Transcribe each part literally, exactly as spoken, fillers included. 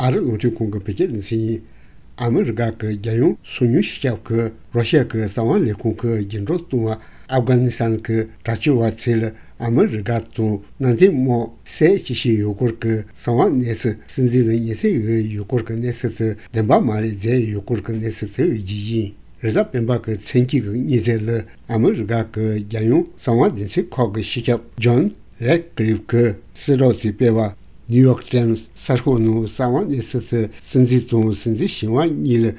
ཨ་རི་རླུང་འཕྲིན་ཁང་གི་བོད་སྐད་སྡེ་ཚན་ཡིན། ཨ་མི་རི་ཀ་གི་རྒྱལ་ཡོངས་སོ་ཉུལ་སྤྱི་ཁྱབ་ཀྱིས་རོ་ཤི་ཡ་གི་གསང་བ་ལས་ཁུངས་ཀྱི་རྒྱུན་སྒྲོག་བཏང་བ་ཨབ་གྷ་ནི་སི་ཐན་གྱི་དྲག་སྤྱོད་པ་ཚོས་ཨ་མི་རི་ཀ་དང་མནའ་མཐུན་དམག་བསད་ཅི་བྱས་ཡོད་སྐོར་གྱི་གསང་བ་གནས་ཚུལ། སྲིད་འཛིན་ལ་སྙན་སེང་ཡོད་ཡོད་སྐོར་གྱི་གནས་ཚུལ་དེ་བདེན་པ་མ་རེད་བརྗོད་ཡོད་སྐོར་གྱི་གནས་ཚུལ་དེ་བརྒྱུད་ཡིན། རེས་གཟའ་སྤེན་པ་གི་མཚན་དཀྱིལ་གྱི་ཉིན་མཚན་ལ་ཨ་མི་རི་ཀ་གི་རྒྱལ་ཡོངས་གསང་བ་སྡེ་ཚན་ཁག་གི་སྤྱི་ཁྱབ་ཇོན་རེད་ཀི་ལིབ་ཀྱིས་གསལ་བསྒྲགས་དེ་སྤེལ་བ། ནིའུ་ཡོག་ཊའིམ་སི་གསར་ཤོག་ནང་གསང་བ་གནས་ཚུལ་དེ་སྲིད་འཛིན་དང་སྲིད་འཛིན་གཞོན་པ་གཉིས་ལ་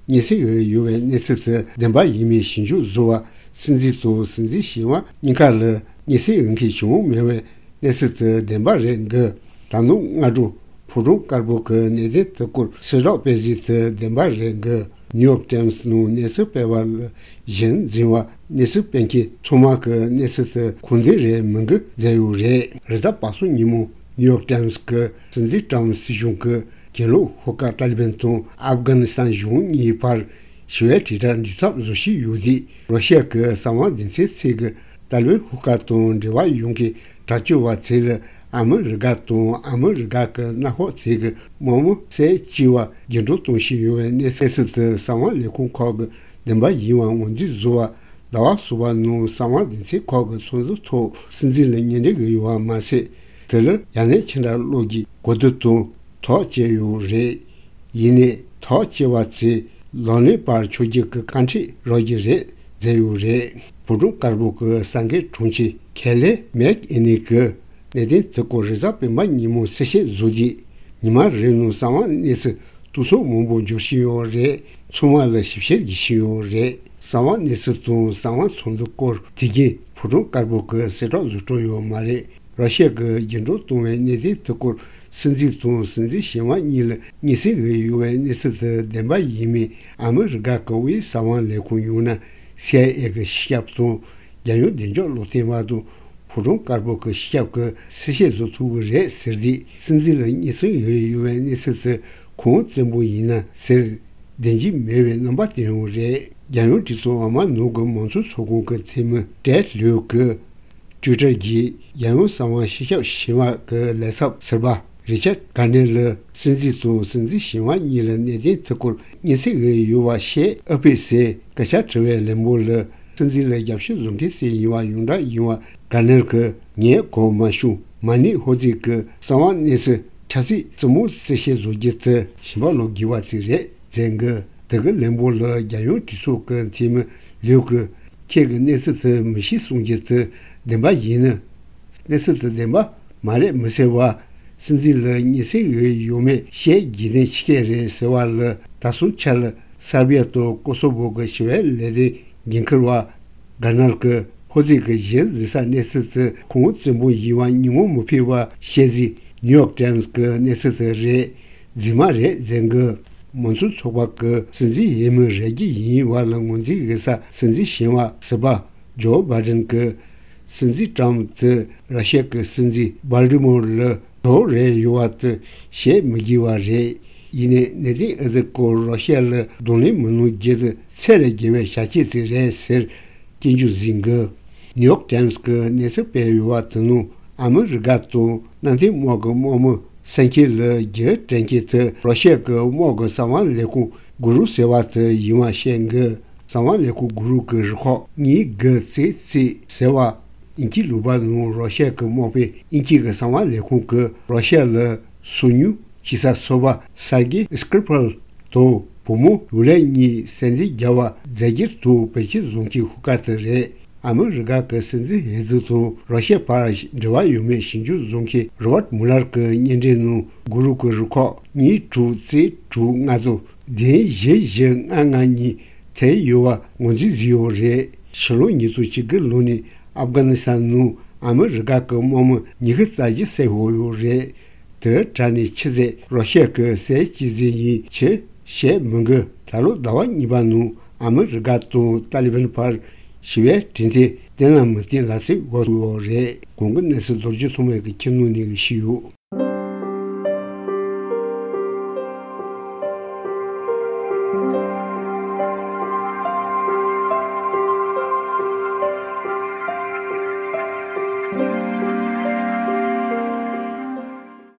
སྙན་སེང་ཡོད་ཡོད་པའི་གནས་ཚུལ་དེ་བདེན་པ་ཡིན་མིན་ཞིབ་འཇུག་བཟོ་བ། སྲིད་འཛིན་དང་སྲིད་འཛིན་གཞོན་པ་གཉིས་ཀ་ལ་སྙན་སེང་ཡོད་མཁན་བྱུང་མེད་པའི་གནས་ཚུལ་དེ་བདེན་པ་རེད་འགི། ད་ནངས་སྔ་དྲོ་ཕོ་བྲང་དཀར་པོ་གི་གནད་དོན་དེ་སྐོར་གསལ་བསྒྲགས་སྤེལ་གཞི་དེ་བདེན་པ་རེད་འགི། ནིའུ་ཡོག་ཊའིམ་སི་ནང་གནས་ཚུལ་སྤེལ་བ་ལ་གཞི་འཛིན་པ། གནས་ཚུལ་སྤེལ་མཁན་ཚང་མ་གིས་གནས་ཚུལ་དེ་ཁུངས་ལྡན་རེད་མིན་འགི་བརྗོད་ཡོད་རེད། རེས་གཟའ་པ་སངས་ཉིན་མོ་ནིའུ་ཡོག་ཊའིམ་སི་གིས་སྲིད་འཛིན་ཊམ་སྲིད་གཞུང་གིས་གྱེན་ལོག་ཤོག་ཁག་ཏཱ་ལི་བན་དང་ཨབ་གྷ་ནི་སི་ཐན་གཞུང་གཉིས་བར་ཞི་བའི་དྲིལ་བསྒྲགས་འབྲི་ཐབས་བཟོ་བཞིན་ཡོད་དུས། རོ་ཤི་ཡ་གི་གསང་བ་སྡེ་ཚན་ཚོས་ཀྱིས་ཏཱ་ལི་བན་ཤོག་ཁག་དང་འབྲེལ་བ་ཡོད་མཁན་དྲག་སྤྱོད་པ་ཚོས་ལ་ཨ་མི་རི་ཀ་དང་ཨ་མི་རི་ཀ་གི་མནའ་ཤོག་ཚོས་ཀྱི་དམག་མི་བསད་ཅེས་པ་རྒྱུན་སྒྲོག་གཏོང་བཞིན་ཡོད་པའི་གནས་ཚུལ་དེ་གསང་བ་ལས་ཁུངས་ཁག་གིས་བདེན་པ་ཡིན་པ་ངོས་འཛིན་བཟོ་བ། ཟླ་བ་གསུམ་པ་ནང་གསང་བ་སྡེ་ཚན་ཁག་གི་ཚོགས་འདུ་ཐོག་སྲིད་འཛིན་ལ་སྙན་སྒྲོན་ཡོད་པ་མ་ཟད། དེ་ལ་ཡང་ན་ཕྱི་དྲག་གློག་གིས་གོ་བསྡུར་དང་ཐག་བཅད་ཡོད་རེད། ཡིན་ནའི་ཐག་བཅད་པ་དེ་ལག་ལེན་བར་ཆོད་རྒྱུ་གི་བཀའ་འཁྲོལ་རག་གི་རེད་བརྗོད་ཡོད་རེད། ཕོ་བྲང་དཀར་པོ་གི་གསར་འགོད་དྲུང་ཆེ་ཁེ་ལེ་མེག་ཨེ་ནི་གིས་གནད་དོན་དེ་སྐོར་རེས་གཟའ་སྤེན་པ་ཉིན་མོ་གསལ་བཤད་བཟོས་དུས། ཉི་མ་རེ་ནང་གསང་བ་གནས་ཚུལ་གཏུག་ཚོགས་མང་པོ་འབྱོར་བཞིན་ཡོད་རེད། ཚང་མ་ལ་ཞིབ་བཤེར་བགྱིད་བཞིན་ཡོད་རེད། གསང་བ་གནས་ཚུལ་དང་གསང་བ་ཚོགས་འདུ་སྐོར་དེ་གའི་ཕོ་བྲང་དཀར་པོ་གིས་གསལ་བསྒྲགས་བཟོ་སྤྲོ་ཡོད་མ་རེད། ར་ཤི་ཡ་གིས་རྒྱུན་སྒྲོག་བཏང་བའི་གནད་དོན་དེ་སྐོར་སྲིད་འཛིན་དང་སྲིད་འཛིན་གཞོན་པ་གཉིས་ལ་སྙན་སེང་ཡོད་ཡོད་པའི་གནས་ཚུལ་དེ་བདེན་པ་ཡིན་མིན་ཨ་མི་རི་ཀ་གི་དབུས་གསང་བ་ལས་ཁུངས་ཡང་ན་སི་ཨའི་ཨེ་གི་སྤྱི་ཁྱབ་དང་རྒྱལ་ཡོངས་བདེ་འཇགས་བློ་མཐུན་པ་དང་ཕོ་བྲང་དཀར་པོ་གི་སྤྱི་ཁྱབ་ཀྱིས་གསལ་བཤད་བཟོ་ཐུབ་ཀྱི་རེད་ཟེར་དུས། སྲིད་འཛིན་ལ་སྙན་སེང་ཡོད་ཡོད་པའི་གནས་ཚུལ་དེ་ཁུངས་བཙན་པོ་ཡིན་ན་ཟེར་བདེན་འཇིགས་མེད་པའི་རྣམ་པ་བསྟན་ཡོད་རེད། རྒྱལ་ཡོངས་གྲོས་ཚོགས་འོག་མ་ནང་གི་མང་གཙོ་ཚོགས་ཁང་གི་འཐུས་མི་ཏྲེད་ལིའུ་གིས། ཊུའི་ཊར་གྱིས་རྒྱལ་ཡོངས་གསང་བ་སྤྱི་ཁྱབ་ཞི་བ་གི་ལས་ཚབ་ཟུར་པ་རི་ཆར་གྷར་ནེར་ལ་སྲིད་འཛིན་དང་སྲིད་འཛིན་གཞོན་པ་གཉིས་ལ་གནད་དོན་དེ་སྐོར་སྙན་སེང་ཡོད་ཡོད་པ་བཤད་ཨེ་ཕི་ཟེར་སྐད་ཆ་དྲི་བའི་ལན་པོ་ལ། སྲིད་འཛིན་ལ་རྒྱབ་སྐྱོར་བཟོ་མཁན་ཞིག་ཡིན་པ་ཡོངས་གྲགས་ཡིན་པ་གྷར་ནེར་གྱིས། ངས་གོ་མ་བྱུང་། མ་ཎི་ཧོ་ཙི་གི་གསང་བ་གནས་ཚུལ་ཆབ་སྲིད་རྩེད་མོ་རྩེད་བཤད་བཟོ་རྒྱུ་དེ་ཞིམ་པ་ལོ་དགེ་བ་ཅིག་རེད་ཟེར་གི། དེ་གི་ལན་པོ་ལ་རྒྱལ་ཡོངས་གྲོས་ཚོགས་ཀྱི་འཐུས་མི་ལིའུ་གིས། ཁྱེད་ཀྱིས་གནས་ཚུལ་དེ་མི་ཤེས་གསུང་རྒྱུ་དེ་བདེན་པ་ཡིན་ན། གནས་ཚུལ་དེ་བདེན་པ་མ་རེད་མི་ཟེར་བ། སྲིད་འཛིན་ལ་སྙན་སེང་ཡོད་ཡོད་མེད་བཤད་རྒྱུ་དེ་ཕྱི་སྐད་རེད་ཟེར་བ་ལ། ད་སོང་ཆ་ལ་སར་བྷི་ཡ་དང་ཀོ་སོ་བྷོ་གི་ཞི་བའི་ལས་དོན་འགན་འཁུར་བ་གྷར་ནེར་གྱིས། ཧོ་ཙི་གི་གཞི་འཛིན་ས་གནས་ཚུལ་དེ་ཁུངས་བཙན་པོ་ཡིན་པ་ཉིན་མོ་མི་ཕེབས་པ་བཤད་རྗེས་ནིའུ་ཡོག་ཊའིམ་སི་གི་གནས་ཚུལ་དེ་རེད། རྫུན་མ་རེད་ཟེར་གི། མང་གཙོ་ཚོགས་པ་གི་སྲིད་འཛིན་འོས་མི་རེ་རྒྱུ་ཡིན་པ་ལ་ངོས་འཛིན་ཡོད་ས་སྲིད་འཛིན་གཞོན་པ་ཟུར་པ་ཇོ་བྷའི་ཌེན་གྱིས། སྲིད་འཛིན་ཊམ་དེ་ར་ཤི་ཡ་གི་སྲིད་འཛིན་བྷལ་ཏི་མོར་ལ་གྲོགས་རེ་ཡོད་པ་དེ་བཤད་མི་དགོས་པ་རེད། ཡིན་ནའི་གནད་དོན་འདི་སྐོར་ར་ཤི་ཡ་ལ་གདོང་ལེན་མི་གནང་རྒྱུ་དེ་ཚད་ལས་བརྒལ་བའི་བྱ་སྤྱོད་ཅིག་རེད་ཟེར། སྐྱོན་བརྗོད་གཟིགས་འགི། ནིའུ་ཡོག་ཊའིམ་སི་གི་གནས་ཚུལ་སྤེལ་ཡོད་པ་དེ་ནང་ཨ་མི་རི་ཀ་དང་མནའ་མཐུན་དམག་གི་དམག་མི་བསད་མཁན་ལ་རྒྱུ་དྲན་མཁན་དེ་རོ་ཤི་ཡ་གི་དམག་གི་གསང་བ་ལས་ཁུངས་གུ་རུ་ཟེར་བ་དེ་ཡིན་པ་བཤད་འགི། གསང་བ་ལས་ཁུངས་གུ་རུ་གི་རུ་ཁག་གཉིས་དགུ་རྩེ་རྩེ་ཟེར་བ། དབྱིན་ཇིའི་ལུང་པ་ནང་རོ་ཤི་ཡ་གི་དམག་དཔོན་དབྱིན་ཇི་གི་གསང་བ་ལས་ཁུངས་ཀྱིས་རོ་ཤི་ཡ་ལ་སོ་ཉུལ་བྱེད་ས་ཚོ་པ་སར་གི་སྐྲི་པལ་དང་བུ་མོ་ཡུ་ལེ་གཉིས་བསད་འདུན་བརྒྱབ་པ་རྫས་འགྱུར་དང་བེད་སྤྱོད་བཟོ་མཁན་ཤོག་ཁག་དེ་རེད། ཨ་མི་རི་ཀ་གི་སྲིད་འཛིན་འོས་བསྡུ་དང་རོ་ཤི་ཡ་བར་འབྲེལ་བ་ཡོད་མེད་ཞིབ་འཇུག་བཟོ་མཁན་རོ་བར་ཊི་མུ་ལར་གྱི་སྙན་འགྲེལ་ནང་གུ་རུ་གི་རུ་ཁག་གཉིས་དྲུག་རྩེ་དྲུག་ལྔ་དང་བདུན་བཞི་བཞི་ལྔ་ལྔ་གཉིས་ཐེ་ཡོད་པ་ངོས་འཛིན་བཟོས་ཡོད་རེད། ཕྱི་ལོ་ཉིས་སྟོང་བཅུ་དགུ་ལོ་ནས་ཨབ་གྷ་ནི་སི་ཐན་ནང་ཨ་མི་རི་ཀ་གི་དམག་མི་ཉི་ཤུ་རྩ་བཞི་བསད་ཡོད་རེད། དེ་གྲས་ནས་ཆུ་ཚོད་རོ་ཤི་ཡ་གི་སའི་གཅིག་ཟིན་ཡིན་ཕྱིར་བཤད་མི་འགི། ད་ལོ་ཟླ་བ་གཉིས་པ་ནང་ཨ་མི་རི་ཀ་དང་ཏཱ་ལི་བན་བར་ཞི་བའི་གྲོས་མཐུན་བརྟན་ལ་མི་བརྟན་ལ་ཚིག་འགོ་ཚུགས་ཡོད་རེད། གོང་གི་གནས་ཚུལ་མདོར་བསྡུས་ཐོག་མའི་གི་ཁྱིམ་ནང་ནས་གི་ཞུས་ཡོད།